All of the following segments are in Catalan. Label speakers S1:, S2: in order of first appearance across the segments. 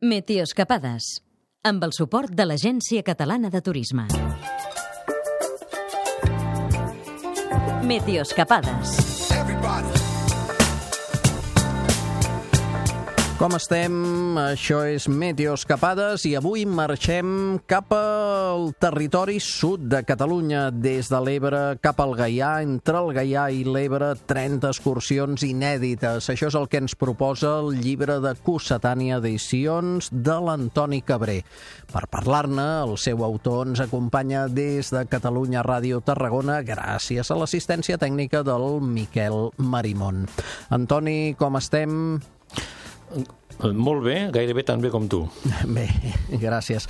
S1: Meteoscapades, amb el suport de l'Agència Catalana de Turisme. Meteoscapades.
S2: Com estem? Això és Meteoscapades i avui marxem cap al territori sud de Catalunya, des de l'Ebre cap al Gaià, entre el Gaià i l'Ebre, 30 excursions inèdites. Això és el que ens proposa el llibre de Cossetània Edicions de l'Antoni Cabré. Per parlar-ne, el seu autor ens acompanya des de Catalunya Ràdio Tarragona gràcies a l'assistència tècnica del Miquel Marimon. Antoni, com estem?
S3: Molt bé, gairebé tan bé com tu.
S2: Bé, gràcies.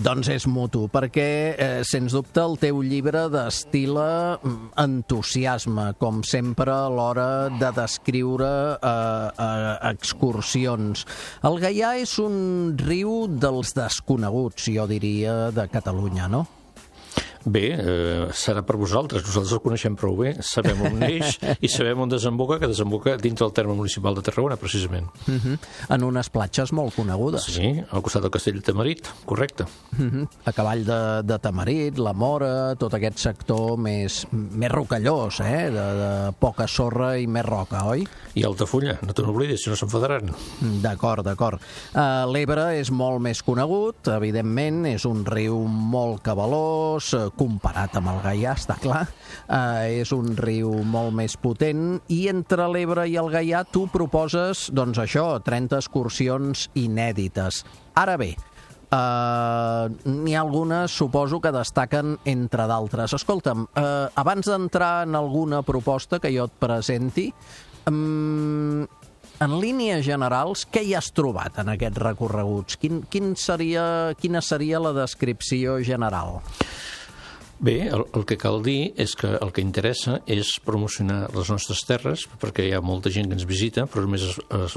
S2: Doncs és mutu, perquè, sens dubte, el teu llibre destila entusiasme, com sempre, a l'hora de descriure excursions. El Gaià és un riu dels desconeguts, jo diria, de Catalunya, no?
S3: Bé, serà per vosaltres. Nosaltres el coneixem prou bé. Sabem on neix i sabem on desemboca, que desemboca dintre del terme municipal de Tarragona, precisament.
S2: En unes platges molt conegudes.
S3: Sí, al costat del castell de Tamarit, correcte.
S2: A cavall de Tamarit, la Mora, tot aquest sector més rocallós, de poca sorra i més roca, oi?
S3: I Altafulla, no te n'oblidis, si no s'enfadaran.
S2: D'acord. L'Ebre és molt més conegut, evidentment, és un riu molt cabalós, comparat amb el Gaià, està clar. És un riu molt més potent i entre l'Ebre i el Gaià tu proposes, doncs això, 30 excursions inèdites. Ara bé, n'hi ha algunes, suposo, que destaquen entre d'altres. Escolta'm, abans d'entrar en alguna proposta que jo et presenti, en línies generals, què hi has trobat en aquests recorreguts? Quina seria la descripció general?
S3: Bé, el que cal dir és que el que interessa és promocionar les nostres terres, perquè hi ha molta gent que ens visita, però només no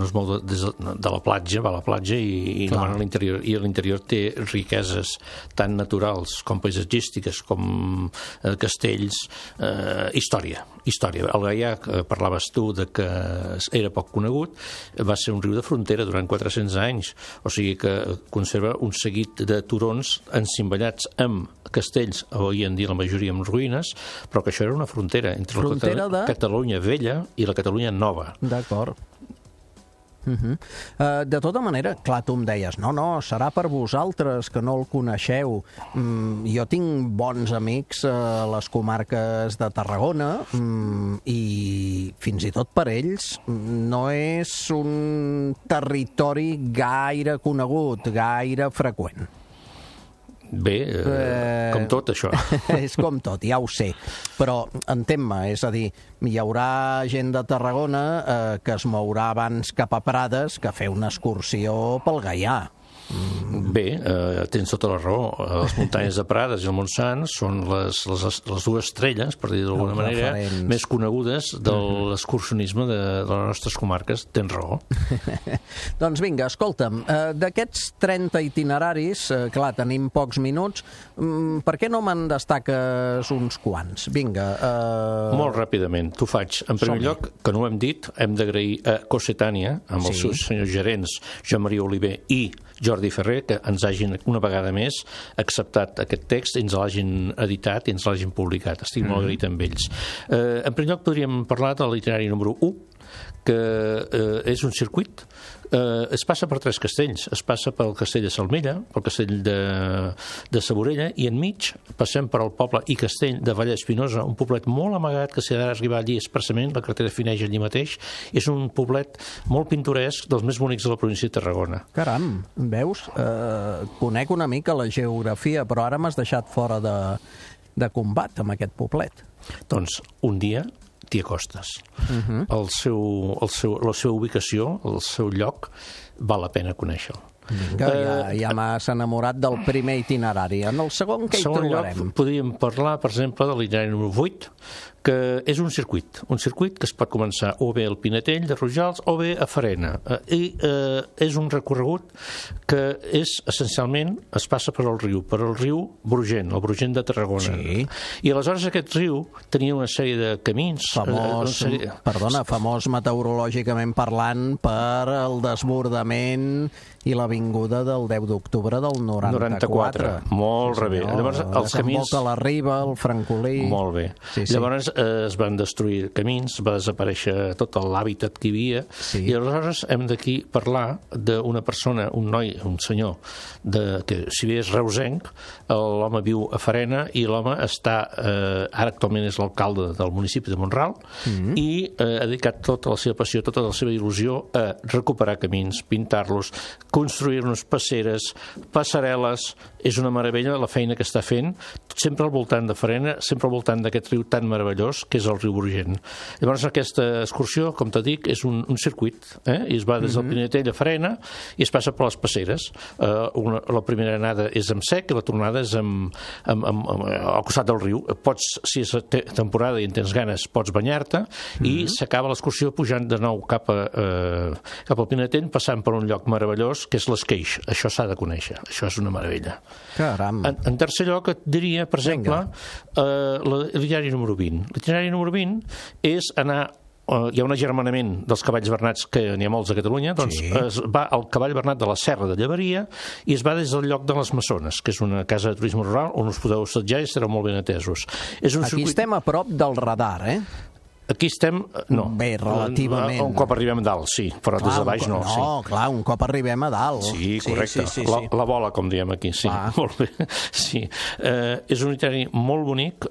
S3: es mou des de la platja, va a la platja i no va a l'interior. I a l'interior té riqueses tant naturals com paisatgístiques, com castells, història. El Gaià, que parlaves tu de que era poc conegut, va ser un riu de frontera durant 400 anys, o sigui que conserva un seguit de turons encimbellats amb castells, avui en dia la majoria amb ruïnes, però que això era una frontera entre la Catalunya vella i la Catalunya nova.
S2: D'acord. De tota manera, clar, tu em deies, no, serà per vosaltres que no el coneixeu. Jo tinc bons amics a les comarques de Tarragona i fins i tot per ells no és un territori gaire conegut, gaire freqüent.
S3: Bé, com tot, això.
S2: És com tot, ja ho sé. Però entén-me, és a dir, hi haurà gent de Tarragona que es mourà abans cap a Prades que fer una excursió pel Gaià.
S3: Bé, tens tota la raó. Les muntanyes de Prades i el Montsant són les dues estrelles, per dir d'alguna manera, més conegudes de l'excursionisme de les nostres comarques. Tens raó.
S2: Doncs vinga, escolta'm, d'aquests 30 itineraris, clar, tenim pocs minuts, per què no me'n destaques uns quants? Vinga.
S3: Molt ràpidament, t'ho faig. En primer lloc, que no ho hem dit, hem d'agrair a Cossetània, amb els seus senyors gerents, Joan Maria Oliver i Jordi Ferrer, que ens hagin una vegada més acceptat aquest text i ens l'hagin editat i ens l'hagin publicat. Estic molt agraït amb ells. En primer lloc podríem parlar de l'itinerari número 1, que és un circuit. Es passa per 3 castells. Es passa pel castell de Salmella, pel castell de Saborella, i enmig passem per el poble i castell de Vallespinosa, un poblet molt amagat que s'ha d'arribar allí expressament, la carretera fineix allí mateix. És un poblet molt pintoresc, dels més bonics de la província de Tarragona.
S2: Caram, veus? Conec una mica la geografia, però ara m'has deixat fora de combat amb aquest poblet.
S3: Doncs un dia t'hi acostes. La seva ubicació, el seu lloc, val la pena conèixer-lo.
S2: Vinga, ja m'has enamorat del primer itinerari. En el segon, què hi trobarem?
S3: Lloc, podríem parlar, per exemple, de l'itinerari número 8, que és un circuit que es pot començar o bé al Pinetell de Rojals o bé a Farena. I és un recorregut que és, essencialment, es passa per el riu Brugent, el Brugent de Tarragona.
S2: Sí.
S3: I aleshores aquest riu tenia una sèrie de camins...
S2: Famós meteorològicament parlant per el desbordament i l'avinguda del 10 d'octubre del 94.
S3: Molt bé. Llavors, els camins...
S2: la Riba, el Francolí...
S3: Molt bé.
S2: Sí.
S3: Llavors es van destruir camins, va desaparèixer tot l'hàbitat que hi havia, i aleshores hem d'aquí parlar d'una persona, un noi, un senyor, que si bé és reusenc, l'home viu a Farena i l'home està, ara actualment és l'alcalde del municipi de Mont-ral, i ha dedicat tota la seva passió, tota la seva il·lusió a recuperar camins, pintar-los, construir-nos passeres, passarel·les. És una meravella la feina que està fent, sempre al voltant de Farena, sempre al voltant d'aquest riu tan meravellós que és el riu Brugent. Llavors aquesta excursió, com t'ho dic, és un circuit, i es va des del Pinetell a Farena i es passa per les passeres. La primera anada és amb sec i la tornada és al costat del riu. Pots, si és temporada i en tens ganes, pots banyar-te, i s'acaba l'excursió pujant de nou cap al Pinetell, passant per un lloc meravellós que és l'Esqueix. Això s'ha de conèixer, això és una meravella.
S2: Caram.
S3: En tercer lloc et diria, per exemple, l'itinerari número 20. L'itinerari número 20 és anar... Hi ha un agermanament dels cavalls bernats, que n'hi ha molts a Catalunya, doncs es va al cavall bernat de la Serra de Llevaria i es va des del lloc de les Maçones, que és una casa de turisme rural on us podeu assetjar i estareu molt ben atesos.
S2: Aquí estem a prop del radar,
S3: Aquí estem... No.
S2: Bé, relativament.
S3: Un cop arribem a dalt, sí, però des de baix no.
S2: No, clar, un cop arribem a dalt.
S3: Sí, correcte. La bola, com diem aquí, sí. Molt bé. Sí. És un itinerari molt bonic,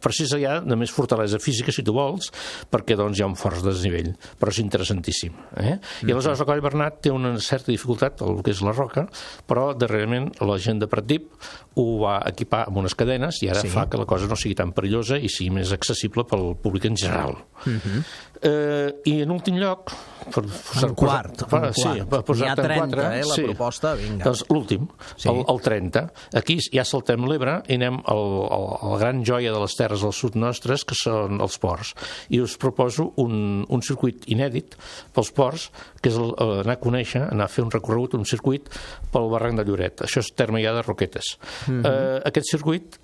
S3: precisa ja de més fortalesa física, si tu vols, perquè doncs hi ha un fort desnivell, però és interessantíssim. I aleshores el cavall bernat té una certa dificultat, el que és la roca, però darrerament la gent de Pratdip ho va equipar amb unes cadenes i ara fa que la cosa no sigui tan perillosa i sigui més accessible pel públic en general. I en últim lloc,
S2: un quart. N'hi ha 30, la proposta, vinga.
S3: Doncs l'últim, el 30. Aquí ja saltem l'Ebre i anem a la gran joia de les terres del sud nostres, que són els ports. I us proposo un circuit inèdit pels ports, que és anar a conèixer, anar a fer un recorregut, un circuit pel barranc de Lloret. Això és terme ja de Roquetes. Aquest circuit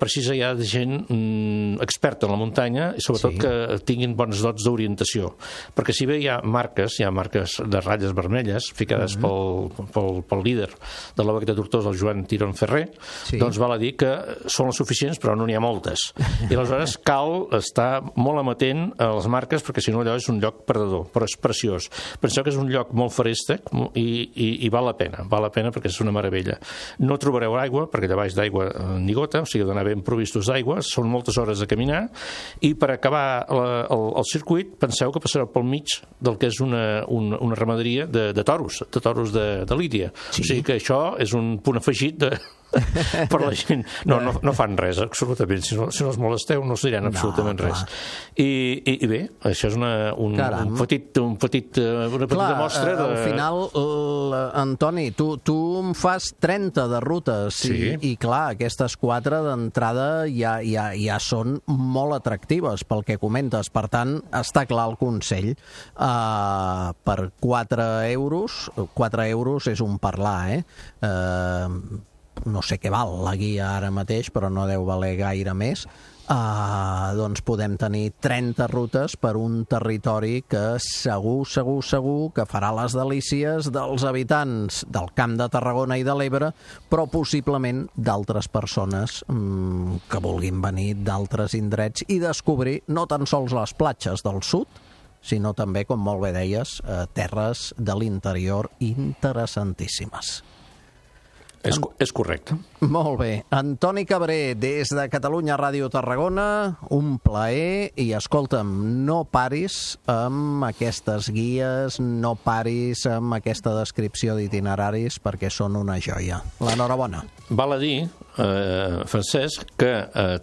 S3: precisa ja de gent experta en la muntanya i sobretot que tinguin bons dots d'orientació. Perquè si bé hi ha marques de ratlles vermelles ficades pel líder de la Baqueta Tortosa, el Joan Tirón Ferrer, doncs val a dir que són les suficients, però no n'hi ha moltes. I aleshores cal estar molt amatent a les marques, perquè si no allò és un lloc perdedor, però és preciós. Penseu que és un lloc molt feréstec i val la pena perquè és una meravella. No trobareu aigua, perquè allà baix d'aigua ni gota, o sigui, d'anar ben provistos d'aigua, són moltes hores de caminar, i per acabar el circuit penseu que passareu pel mig del que és una ramaderia de toros de Lídia. O sigui que això és un punt afegit per la gent. No fan res, absolutament. Si no els molesteu no us diran absolutament res. I bé, això és una petita mostra de...
S2: Al final, Antoni, tu em fas 30 de rutes i clar, aquestes 4 d'entrada ja són molt atractives pel que comentes. Per tant, està clar el consell. Per 4 euros és un parlar, no sé què val la guia ara mateix, però no deu valer gaire més, doncs podem tenir 30 rutes per un territori que segur que farà les delícies dels habitants del Camp de Tarragona i de l'Ebre, però possiblement d'altres persones que vulguin venir d'altres indrets i descobrir no tan sols les platges del sud, sinó també, com molt bé deies, terres de l'interior interessantíssimes.
S3: És correcte.
S2: Molt bé. Antoni Cabré, des de Catalunya Ràdio Tarragona, un plaer, i escolta'm, no paris amb aquestes guies, no paris amb aquesta descripció d'itineraris, perquè són una joia. L'enhorabona.
S3: Val a dir, Francesc, que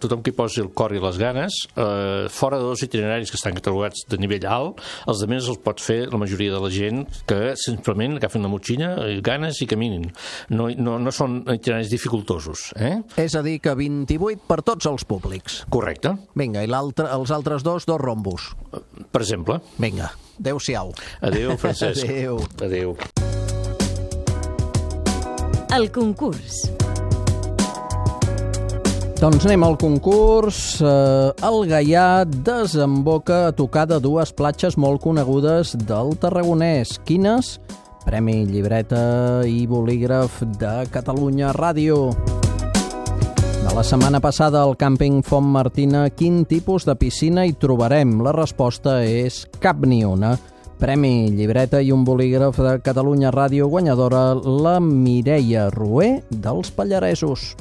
S3: tothom que hi posi el cor i les ganes, fora de 2 itineraris que estan catalogats de nivell alt, els de més els pot fer la majoria de la gent que simplement agafin la motxilla, ganes i caminin. No són itineraris dificultosos.
S2: És a dir, que 28 per tots els públics.
S3: Correcte.
S2: Vinga, i els altres 2 rombos.
S3: Per exemple.
S2: Vinga, adéu-siau.
S3: Adéu, Francesc.
S2: Adéu.
S3: Adéu.
S1: El concurs.
S2: Doncs anem al concurs. El Gaià desemboca a tocar de 2 platges molt conegudes del Tarragonès. Quines? Premi Llibreta i Bolígraf de Catalunya Ràdio. De la setmana passada al càmping Font Martina, quin tipus de piscina hi trobarem? La resposta és cap ni una. Premi Llibreta i un Bolígraf de Catalunya Ràdio, guanyadora la Mireia Rué dels Pallaresos.